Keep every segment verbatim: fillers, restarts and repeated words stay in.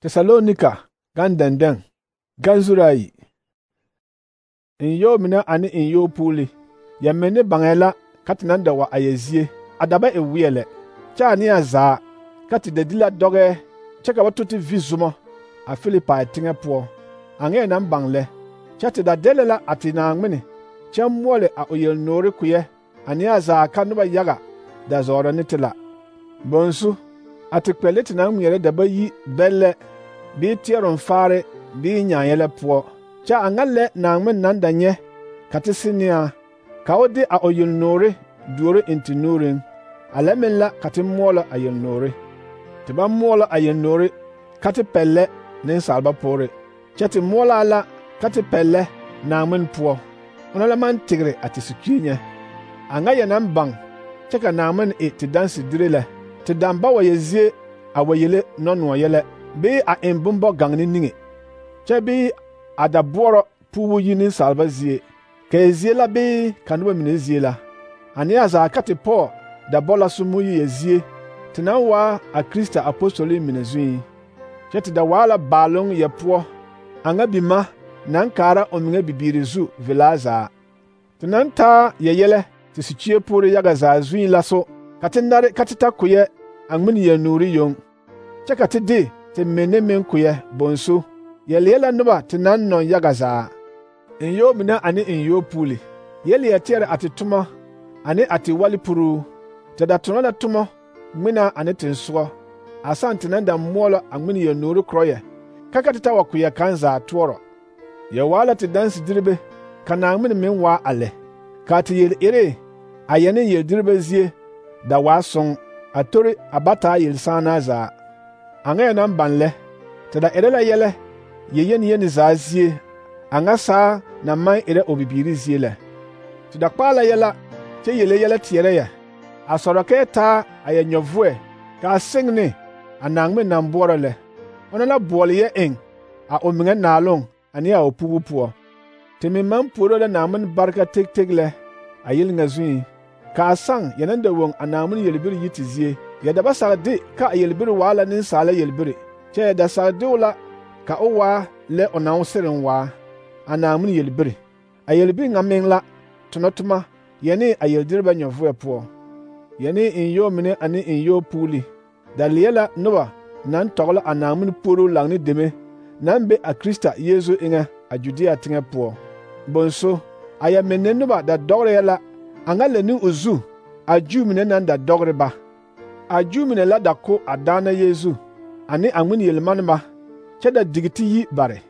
Tesalonika gan dɛndɛŋ gan zuraayi ayi. In yɔɔ mine ane in yɔɔ puuli, yɛ menne baŋɛɛ la ka te naŋ da wa a yɛ zie, a da ba e weɛ lɛ. Kyɛ a neɛ zaa ka te da di la dɔgɛɛ kyɛ ka ba tɔ te vi zomɔ a Filipai teŋɛ poɔ. A ŋɛɛ naŋ baŋ lɛ, kyɛ te da dɛle la a te Naaŋmene kyɛ moɔle a o yelnoore kpeɛ a neɛ zaa ka noba yaga da zɔɔrɔ ne te la. Bonsu, a te kpɛlle te naŋ ŋmeɛrɛ da ba yi bɛllɛ bii teɛroŋ faare bii nyaayɛlɛ poɔ. Kyɛ a ŋa lɛ Naaŋmene naŋ da nyɛ ka te se ne a, ka o de a o yelnoore duoro eŋ te nuuriŋ. A lɛ meŋ la ka te moɔlɔ a yelnoore. Te ba moɔlɔ a yelnoore ka te pɛllɛ nensalba poore, kyɛ te moɔlɔ a la ka te pɛllɛ Naaŋmene poɔ. Ona la maŋ tegre a te sukii nyɛ. A ŋa yɛ naŋ baŋ kyɛ ka Naaŋmene e te dansedire lɛ. Te daŋ ba wa yɛ zie a wa yele nɔnoɔ yɛlɛ, bii a eŋ bombɔ gaŋne niŋe, kyɛ bii a da boɔrɔ puubu yi nensalba zie, ka e zie la bii ka noba mine zie la. A neɛ zaa ka te pɔɔ da bɔ la sommo yi yɛ zie, te naŋ waa a Krista apostolii mine zuiŋ. Kyɛ te da waa la baaloŋ yɛ poɔ, a ŋa bima naŋ kaara o meŋa bibiiri zu velaa zaa. Te naŋ taa yɛ yɛlɛ te sikyie poore yaga zaa zuiŋ la so, ka te nare ka te ta kpeɛ a ŋmene yelnoore yoŋ, kyɛ ka te de te menne meŋ kpeɛ bonsu, yɛ leɛ la noba te naŋ nɔŋ yaga zaa. In yɔɔ mine ane in yɔɔ puuli, yɛ leɛ teɛrɛ a te tomɔ ane a te wale puruu. Te da tonɔ la tomɔ ŋmenaa ane tensogɔ, a sãã te naŋ da moɔlɔ a ŋmene yelnoore korɔyɛ, ka ka te ta wa kpeɛ kaŋ zaa toɔrɔ. Yɛ waa la te dansediribe, ka Naaŋmene meŋ waa a lɛ. Ka te yel ere a yɛ ne yeldiribe zie da waa soŋ, a tori a ba taa yelsããnaa zaa. A ŋa yɛ naŋ baŋ lɛ, te da erɛ la yɛlɛ yɛ yeni yeni zaa zie, a ŋa saa na maŋ erɛ o bibiiri zie lɛ. Te da kpaa la yɛla kyɛ yele yɛlɛ teɛrɛ yɛ, a sɔrɔ kɛɛ taa a yɛ nyɔvoɛ ka a seŋ ne a Naaŋmene naŋ boɔrɔ lɛ. Ona la boɔle yɛ eŋ a o meŋa naaloŋ ane a o pugu poɔ. Te meŋ maŋ puoro la Naaŋmene bareka teg teg lɛ a yel ŋa zuiŋ, ka a saŋ yɛ naŋ da woŋ a Naaŋmene yelbiri yi te zie. Yɛ da ba sag de ka a yelbiri waa la nensaala yelbiri, kyɛ yɛ da sag de o la ka o waa lɛ o naŋ sereŋ waa, a Naaŋmene yelbiri. A yelbiri ŋa meŋ la tonɔ toma yɛne a yeldiribɛ nyɔvoɛ poɔ. Yɛne in yɔɔ mine ane in yɔɔ puuli, da leɛ la noba naŋ tɔgla a Naaŋmene puoroo laŋ ne deme naŋ be a Krista Yeezu eŋɛ a Judea teŋɛ poɔ. Bonso, a yɛ menne noba da dɔgreɛ la a ŋa lɛ ne o zu a Juu mine naŋ da dɔgre ba. A Juu mine la da ko a Daana Yeezu ane a ŋmene yelmaneba kyɛ da digi te yi bare.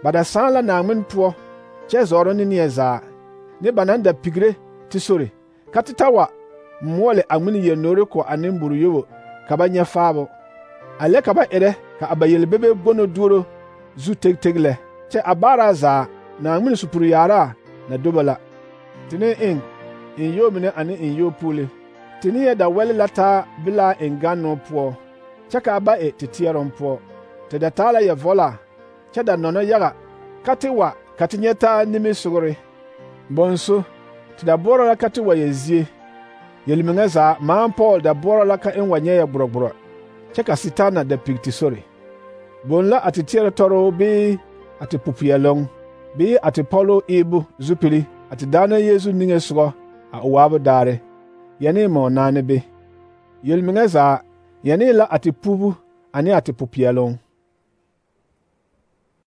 Ba da sãã la Naaŋmene poɔ kyɛ zɔɔrɔ ne neɛ zaa, ne ba naŋ da pigre te sore, ka te ta wa moɔle a ŋmene yelnoore ko a nemboro yobo ka ba nyɛ faabo. A lɛ ka ba erɛ ka a ba yelbebe gono duoro zu teg teg lɛ, kyɛ a baaraa zaa Naaŋmene supuri yaaraa na do ba la. Te ne eŋ in yɔɔ mine ane in yɔɔ puuli, te ne yɛ da wɛle la taa belaa eŋ gannoo poɔ, kyɛ ka a ba e te teɛroŋ poɔ. Te da taa la yɛvɔlaa, kyɛ da nɔnɔ yaga ka te wa ka te nyɛ taa nimisogre. Bonso, te da boɔrɔ la ka te wa yɛ zie. Yelmeŋa zaa maa Pɔɔl da boɔrɔ la ka eŋ wa nyɛ yɛ gborɔgborɔ, kyɛ ka Sitaana da pig te sore. Boŋ la a te teɛrɛ tɔroo bii a te pupeɛloŋ, bii a te pɔloo eebo zupili a te Daana Yeezu niŋe sogɔ a o waabo daare, yɛne mɔɔnaane be. Yelmeŋa zaa yɛne la a te pubu ane a te pupeɛloŋ.